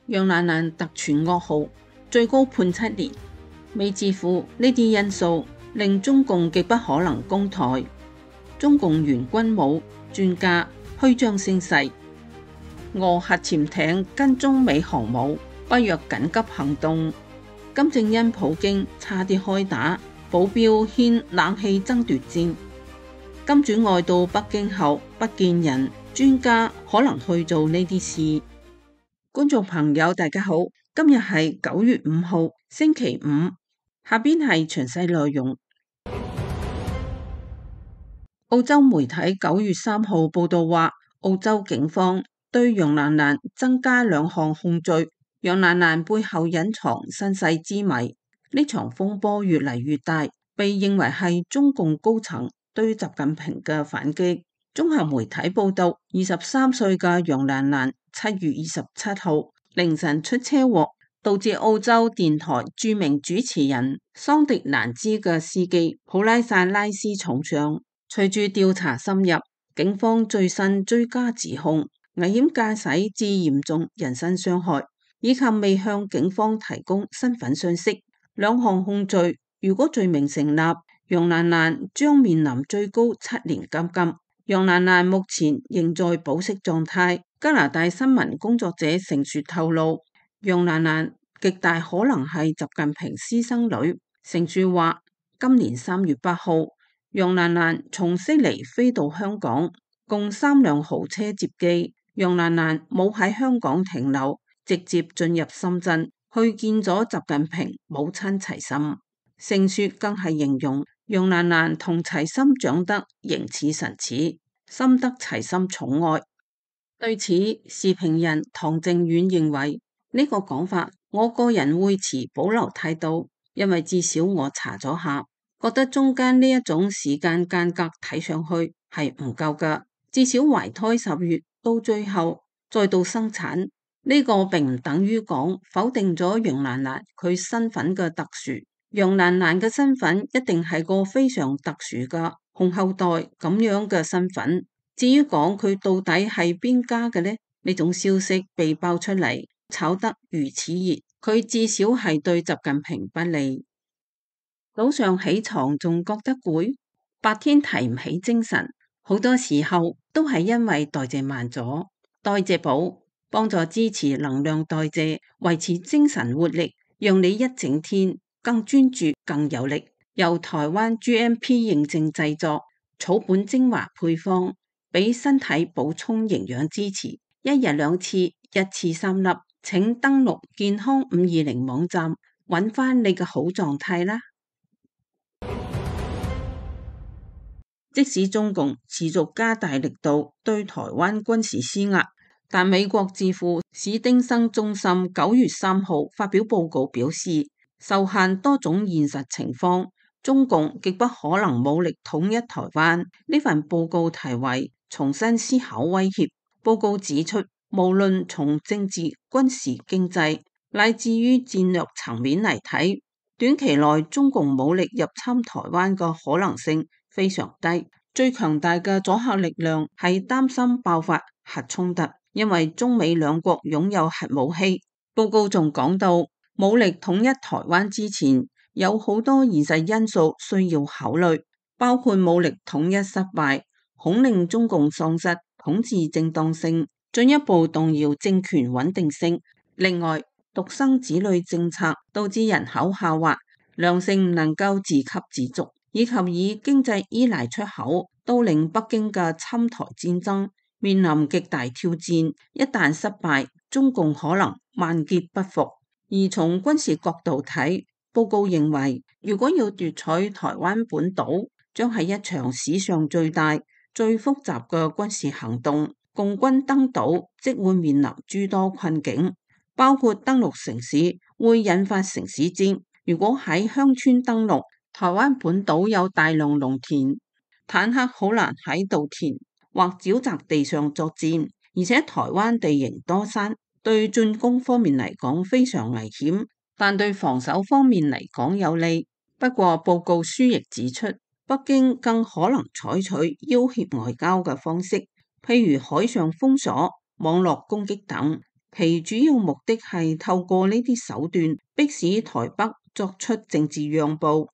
楊蘭蘭特傳噩耗，最高判7年。未置乎呢啲因素，令中共極不可能攻台。中共原軍武專家虛張聲勢，俄核潛艇跟中美航母北約緊急行動。金正恩普京差啲開打，保鏢掀冷氣爭奪戰。金主愛到北京後不見人，專家可能去做呢啲事。觀眾朋友大家好，今日係9月5號星期五，下邊係詳細內容。澳洲媒體9月3號報道話，澳洲警方對楊蘭蘭增加2項控罪。楊蘭蘭背後隱藏身世之謎，呢場風波越嚟越大，被認為係中共高層對習近平嘅反擊。綜合媒體報道，23歲嘅楊蘭蘭7月27號凌晨出車禍，導致澳洲電台著名主持人桑迪蘭茲嘅司機普拉薩拉斯重傷。隨住調查深入，警方最新追加指控危險駕駛致嚴重人身傷害，以及未向警方提供身份信息。2項控罪，如果罪名成立，楊蘭蘭將面臨最高7年監禁。楊蘭蘭目前仍在保釋狀態。加拿大新聞工作者成雪透露，楊蘭蘭極大可能係習近平私生女。成雪話，今年3月8號，楊蘭蘭從悉尼飛到香港，共3輛豪車接機。楊蘭蘭冇喺香港停留，直接進入深圳去見咗習近平母親齊心。成雪更係形容楊蘭蘭同齊心長得形似神似，深得齊心寵愛。對此，時評人唐正遠認為呢個講法，我個人會持保留態度，因為至少我查咗下，覺得中間呢一種時間間隔睇上去係唔夠㗎。至少懷胎10月到最後再到生產，呢個並唔等於講否定咗楊蘭蘭佢身份嘅特殊。楊蘭蘭嘅身份一定係個非常特殊嘅紅後代咁樣嘅身份。至於講佢到底係邊家嘅呢？呢種消息被爆出嚟，炒得如此熱，佢至少係對習近平不利。早上起床仲覺得攰，白天提唔起精神，好多時候都係因為代謝慢咗。代謝寶幫助支持能量代謝，維持精神活力，讓你一整天更專注、更有力。由台灣 GMP 認證製作，草本精華配方，俾身體補充營養支持。1日2次，一次3粒。請登錄健康520網站，揾翻你嘅好狀態啦。即使中共持續加大力度對台灣軍事施壓，但美國智庫史丁生中心9月3號發表報告表示，受限多種現實情況，中共極不可能武力統一台灣。呢份報告題為重新思考威脅。報告指出，無論從政治、軍事、經濟乃至於戰略層面嚟睇，短期內中共武力入侵台灣嘅可能性非常低。最強大嘅阻嚇力量係擔心爆發核衝突，因為中美兩國擁有核武器。報告仲講到，武力統一台灣之前，有好多現實因素需要考慮，包括武力統一失敗，恐令中共喪失統治正當性，進一步動搖政權穩定性。另外，獨生子女政策導致人口下滑，糧食唔能夠自給自足，以及以經濟依賴出口，都令北京嘅侵台戰爭面臨極大挑戰。一旦失敗，中共可能萬劫不復。而從軍事角度睇，報告認為，如果要奪取台灣本島，將係一場史上最大、最複雜嘅軍事行動。共軍登島即會面臨諸多困境，包括登陸城市會引發城市戰。如果喺鄉村登陸，台灣本島有大量農田，坦克好難喺稻田或沼澤地上作戰，而且台灣地形多山，對進攻方面嚟講非常危險，但對防守方面嚟講有利。不過報告書亦指出，北京更可能採取要挾外交嘅方式，譬如海上封鎖、網絡攻擊等，其主要目的係透過呢啲手段迫使台北作出政治讓步。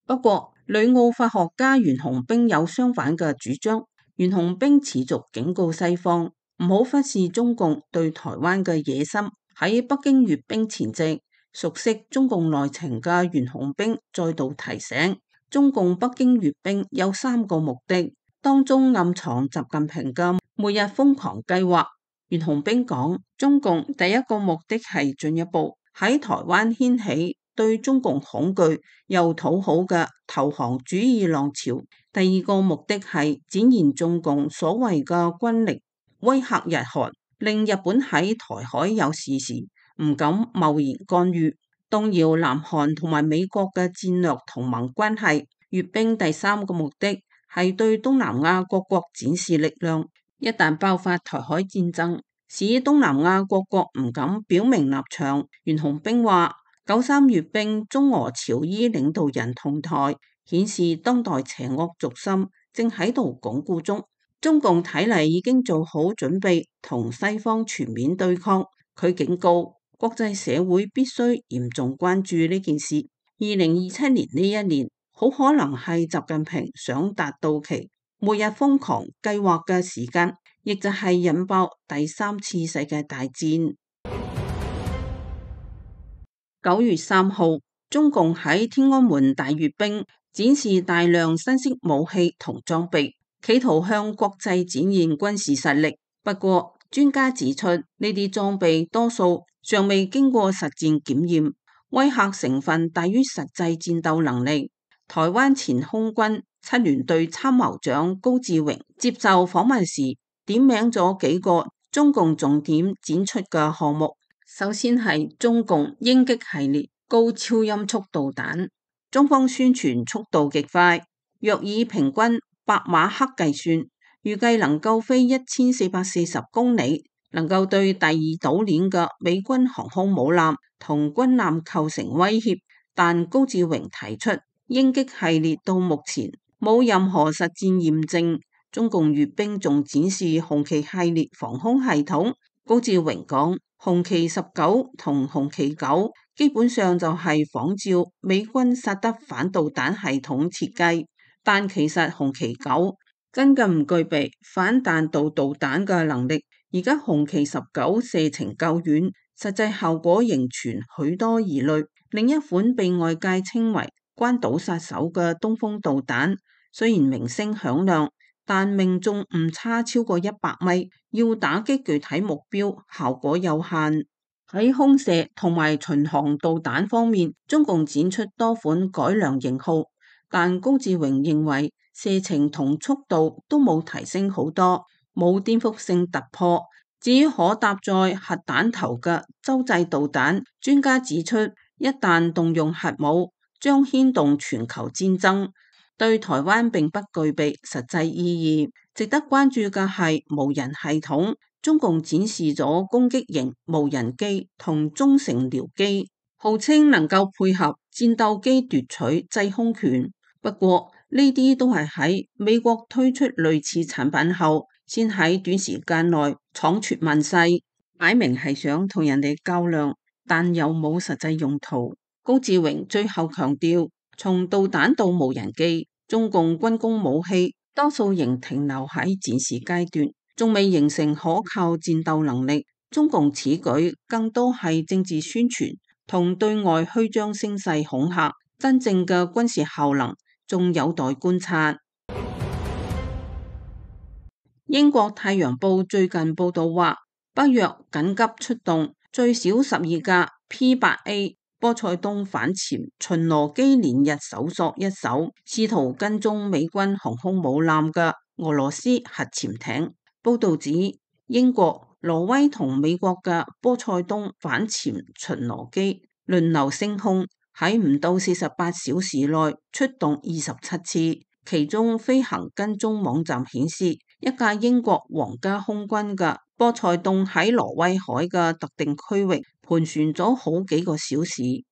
不過，旅澳法學家袁弘彬有相反嘅主張。袁弘彬持續警告西方唔好忽視中共對台灣嘅野心。喺北京閱兵前夕，熟悉中共內情嘅袁弘彬再度提醒，中共北京閱兵有3個目的，當中暗藏習近平嘅末日瘋狂計劃。袁弘彬講，中共第一個目的係進一步喺台灣掀起對中共恐懼又討好嘅投降主義浪潮，第二個目的係展現中共所謂嘅軍力，威嚇日韓，令日本喺台海有事時唔敢貿然干預，動搖南韓同埋美國嘅戰略同盟關係。閱兵第3個目的係對東南亞各國展示力量，一旦爆發台海戰爭，使東南亞各國唔敢表明立場。袁弘彬話，93閱兵，中俄朝伊領導人同台，顯示當代邪惡軸心正喺度鞏固中。中共睇嚟已經做好準備同西方全面對抗。佢警告國際社會必須嚴重關注呢件事。2027年呢一年，好可能係習近平想達到其末日瘋狂計劃嘅時間，亦就係引爆第3次世界大戰。9月3號，中共喺天安門大閱兵，展示大量新式武器同裝備，企圖向國際展現軍事實力。不過，專家指出，呢啲裝備多數尚未經過實戰檢驗，威嚇成分大於實際戰鬥能力。台灣前空軍7聯隊參謀長高志榮接受訪問時，點名咗幾個中共重點展出嘅項目。首先係中共鷹擊系列高超音速導彈，中方宣傳速度極快，若以平均8馬赫計算，預計能夠飛1440公里，能夠對第二島鏈嘅美軍航空母艦同軍艦構成威脅。但高志榮提出，鷹擊系列到目前冇任何實戰驗證。中共閱兵仲展示紅旗系列防空系統。高志榮講，紅旗19同紅旗9基本上就係仿照美軍薩德反導彈系統設計，但其實紅旗9根本唔具備反彈道導彈嘅能力。而家紅旗19射程夠遠，實際效果仍存許多疑慮。另一款被外界稱為關島殺手嘅東風導彈，雖然名聲響亮，但命中誤差超過100米，要打擊具體目標效果有限。喺空射同埋巡航導彈方面，中共展出多款改良型號，但高志榮認為射程同速度都冇提升好多，冇顛覆性突破。至於可搭載核彈頭嘅洲際導彈，專家指出，一旦動用核武，將牽動全球戰爭，對台灣並不具備實際意義。值得關注嘅係無人系統，中共展示咗攻擊型無人機同中程僚機，號稱能夠配合戰鬥機奪取制空權。不過呢啲都係喺美國推出類似產品後，先喺短時間內闖出問世，擺明係想同人哋較量，但又冇實際用途。高志榮最後強調，從導彈到無人機，中共軍工武器多數仍停留喺展示階段，仲未形成可靠戰鬥能力。中共此舉更多係政治宣傳同對外虛張聲勢恐嚇，真正嘅軍事效能仲有待觀察。英國《太陽報》最近報道話，北約緊急出動最少12架 P-8A 波塞冬反潛巡邏機，連日搜索一艘試圖跟蹤美軍航空母艦嘅俄羅斯核潛艇。報道指，英國、挪威同美國嘅波塞冬反潛巡邏機輪流升空，喺唔到48小時內出動27次，其中飛行跟蹤網站顯示，一架英國皇家空軍嘅波塞冬喺挪威海嘅特定區域盤旋咗好幾個小時。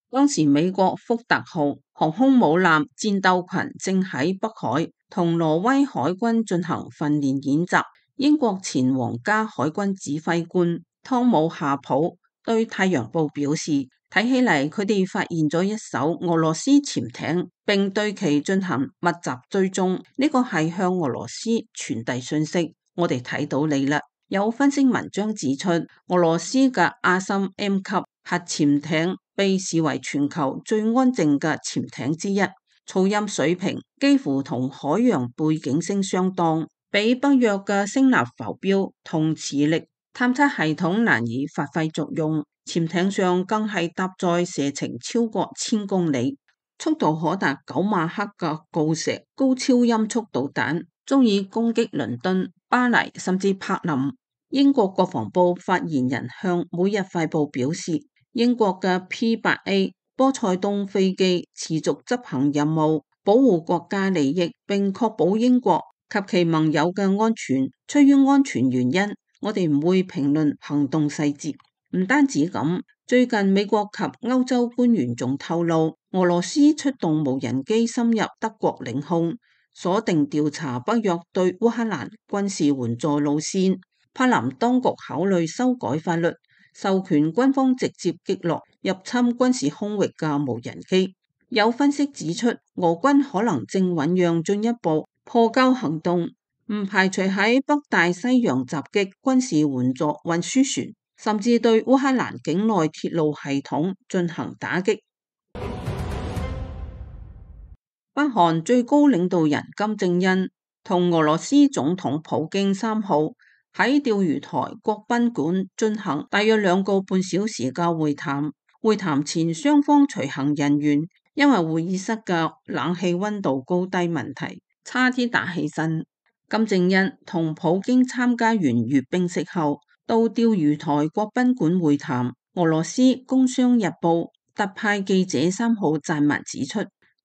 當時美國福特號航空母艦戰鬥群正喺北海同挪威海軍進行訓練演習。英國前皇家海軍指揮官湯姆夏普對《太陽報》表示，睇起嚟佢哋發現咗一艘俄羅斯潛艇，並對其進行密集追蹤，呢個係向俄羅斯傳遞訊息，我哋睇到你啦。有分析文章指出，俄羅斯嘅阿森 M 級核潛艇被視為全球最安靜嘅潛艇之一，噪音水平幾乎同海洋背景聲相當，比北約嘅聲納浮標同磁力探測系統難以發揮作用。潛艇上更係搭載射程超過1000公里、速度可達9馬赫嘅鋯石高超音速導彈，足以攻擊倫敦、巴黎甚至柏林。英國國防部發言人向每日快報表示，英國嘅 P-8A 波塞冬飛機持續執行任務，保護國家利益，並確保英國及其盟友嘅安全。出於安全原因，我哋唔會評論行動細節。唔單止咁，最近美國及歐洲官員仲透露，俄羅斯出動無人機深入德國領空，鎖定調查北約對烏克蘭軍事援助路線。柏林當局考慮修改法律，授權軍方直接擊落入侵軍事空域嘅無人機。有分析指出，俄軍可能正醞釀進一步破交行動，唔排除喺北大西洋襲擊軍事援助運輸船，甚至對烏克蘭境內鐵路系統進行打擊。北韓最高領導人金正恩同俄羅斯總統普京3號喺釣魚台國賓館進行大約2個半小時嘅會談。會談前，雙方隨行人員因為會議室嘅冷氣溫度高低問題，差啲打起身。金正恩同普京參加完閱兵式後，到釣魚台國賓館會談。俄羅斯工商日報特派記者3號撰文指出，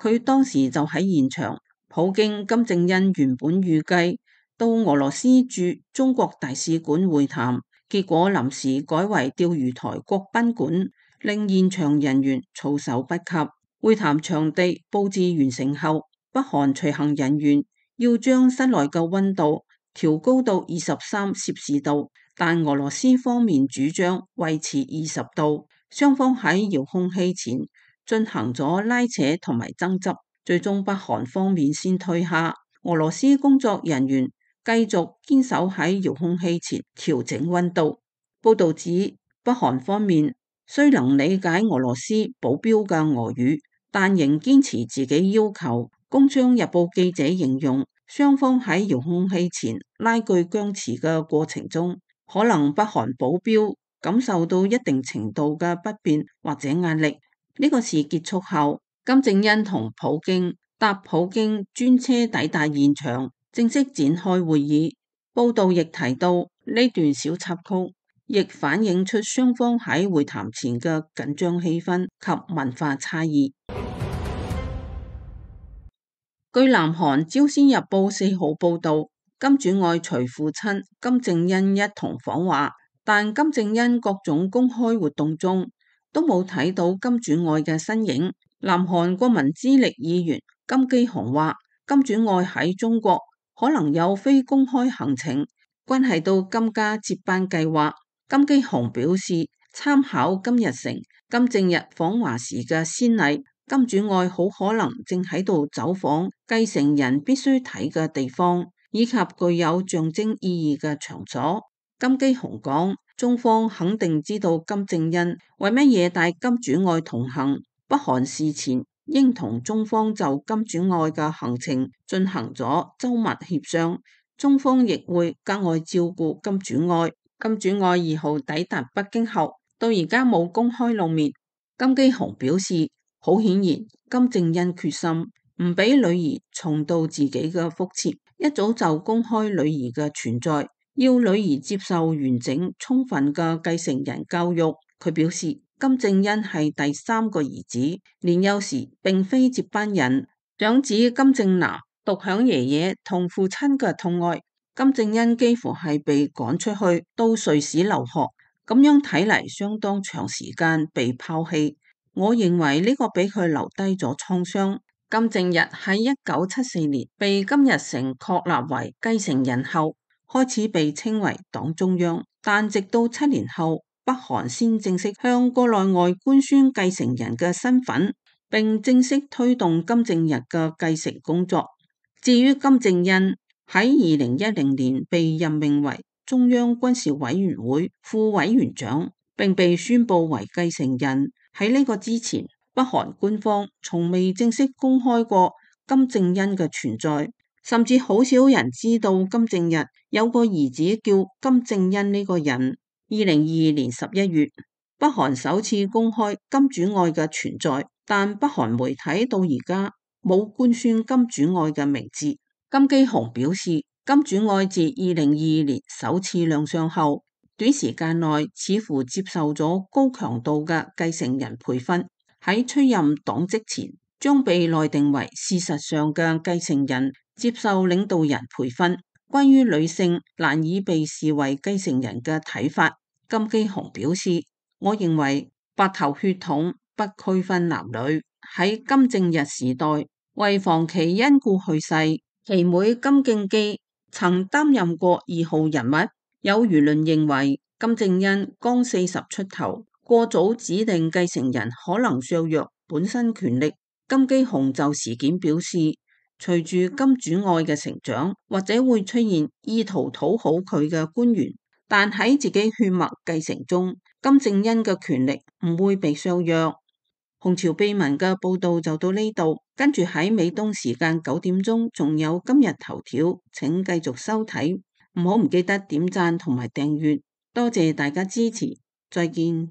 佢當時就喺現場。普京、金正恩原本預計到俄羅斯駐中國大使館會談，結果臨時改為釣魚台國賓館，令現場人員措手不及。會談場地佈置完成後，北韓隨行人員要將室內嘅溫度調高到23攝氏度，但俄羅斯方面主張維持20度。雙方喺遙控器前進行咗拉扯同埋爭執，最終北韓方面先退下。俄羅斯工作人員繼續堅守喺遙控器前調整溫度。報導指，北韓方面雖能理解俄羅斯保鏢嘅俄語，但仍堅持自己要求。工商日報記者形容，雙方喺遙控器前拉鋸僵持嘅過程中，可能北韓保鏢感受到一定程度嘅不便或者壓力。呢個事結束後，金正恩同普京搭普京專車抵達現場，正式展開會議。報道亦提到呢段小插曲，亦反映出雙方喺會談前嘅緊張氣氛及文化差異。據南韓朝鮮日報4號報道，金主愛隨父親金正恩一同訪華，但金正恩各種公開活動中都冇睇到金主愛嘅身影。南韓國民之力議員金基雄話，金主愛喺中國可能有非公開行程，關係到金家接班計劃。金基雄表示，參考金日成、金正日訪華時嘅先例，金主愛好可能正喺度走訪繼承人必須睇嘅地方，以及具有象徵意義嘅場所。金基雄講，中方肯定知道金正恩為乜嘢帶金主愛同行，北韓事前應同中方就金主愛嘅行程進行咗周密協商，中方亦會格外照顧金主愛。金主愛2號抵達北京後，到而家冇公開露面。金基雄表示，好顯然，金正恩決心唔俾女兒重蹈自己嘅覆轍，一早就公開女兒嘅存在，要女兒接受完整充分嘅繼承人教育。佢表示，金正恩係第3個兒子，年幼時並非接班人。長子金正男獨享爺爺同父親嘅痛愛，金正恩幾乎係被趕出去到瑞士留學，咁樣睇嚟相當長時間被拋棄。我認為呢個俾佢留低咗創傷。金正日喺1974年被金日成確立為繼承人後，開始被稱為黨中央，但直到7年後，北韓先正式向國內外官宣繼承人嘅身份，並正式推動金正日嘅繼承工作。至於金正恩喺2010年被任命為中央軍事委員會副委員長，並被宣布為繼承人。喺呢個之前，北韓官方從未正式公開過金正恩嘅存在，甚至好少人知道金正日有個兒子叫金正恩呢個人。2022年11月，北韓首次公開金主愛嘅存在，但北韓媒體到而家冇官宣金主愛嘅名字。金基雄表示，金主愛自2022年首次亮相後，短時間內似乎接受咗高強度嘅繼承人培訓，喺出任黨職前將被內定為事實上嘅繼承人，接受領導人培訓。關於女性難以被視為繼承人嘅睇法，金基雄表示，我認為白頭血統不區分男女。喺金正日時代，為防其因故去世，其妹金敬基曾擔任過2號人物。有輿論認為金正恩剛40出頭，過早指定繼承人可能削弱本身權力。金基雄就事件表示，隨住金主愛嘅成長，或者會出現意圖討好佢嘅官員，但喺自己血脈繼承中，金正恩嘅權力唔會被削弱。紅潮秘聞嘅報道就到呢度，跟住喺美東時間9點鐘仲有今日頭條，請繼續收睇，唔記得點讚同埋訂閱，多謝大家支持，再見。